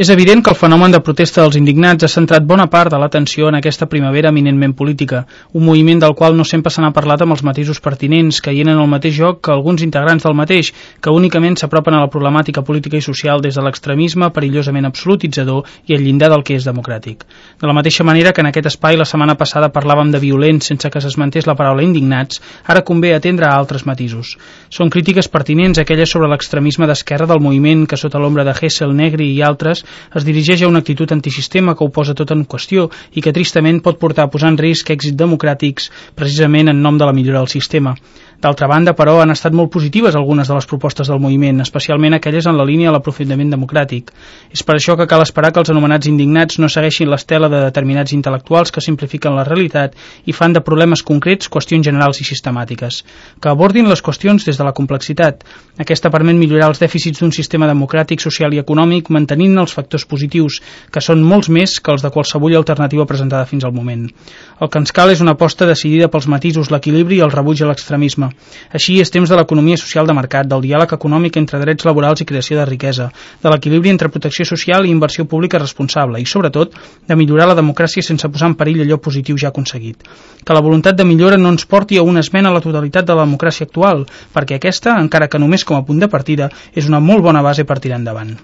És evident que el fenomen de protesta dels indignats ha centrat bona part de l'atenció en aquesta primavera eminentment política, un moviment del qual no sempre se n'ha parlat amb els matisos pertinents, caient en el mateix joc que alguns integrants del mateix, que únicament s'apropen a la problemàtica política i social des de l'extremisme perillosament absolutitzador i el llindar del que és democràtic. De la mateixa manera que en aquest espai la setmana passada parlàvem de violents sense que s'esmentés la paraula indignats, ara convé atendre a altres matisos. Són crítiques pertinents aquelles sobre l'extremisme d'esquerra del moviment que sota l'ombra de Hessel, Negri i altres es dirigeix a una actitud antisistema que ho posa tot en qüestió i que tristament pot portar a posar en risc èxits democràtics precisament en nom de la millora del sistema. D'altra banda, però, han estat molt positives algunes de les propostes del moviment, especialment aquelles en la línia de l'aprofundiment democràtic. És per això que cal esperar que els anomenats indignats no segueixin l'estela de determinats intel·lectuals que simplifiquen la realitat i fan de problemes concrets qüestions generals i sistemàtiques. Que abordin les qüestions des de la complexitat. Aquesta permet millorar els dèficits d'un sistema democràtic, social i econòmic, mantenint els factors positius, que són molts més que els de qualsevol alternativa presentada fins al moment. El que ens cal és una aposta decidida pels matisos, l'equilibri i el rebuig a l'extremisme. Així és temps de l'economia social de mercat, del diàleg econòmic entre drets laborals i creació de riquesa, de l'equilibri entre protecció social i inversió pública responsable i, sobretot, de millorar la democràcia sense posar en perill allò positiu ja aconseguit. Que la voluntat de millora no ens porti a una esmena a la totalitat de la democràcia actual, perquè aquesta, encara que només com a punt de partida, és una molt bona base per tirar endavant.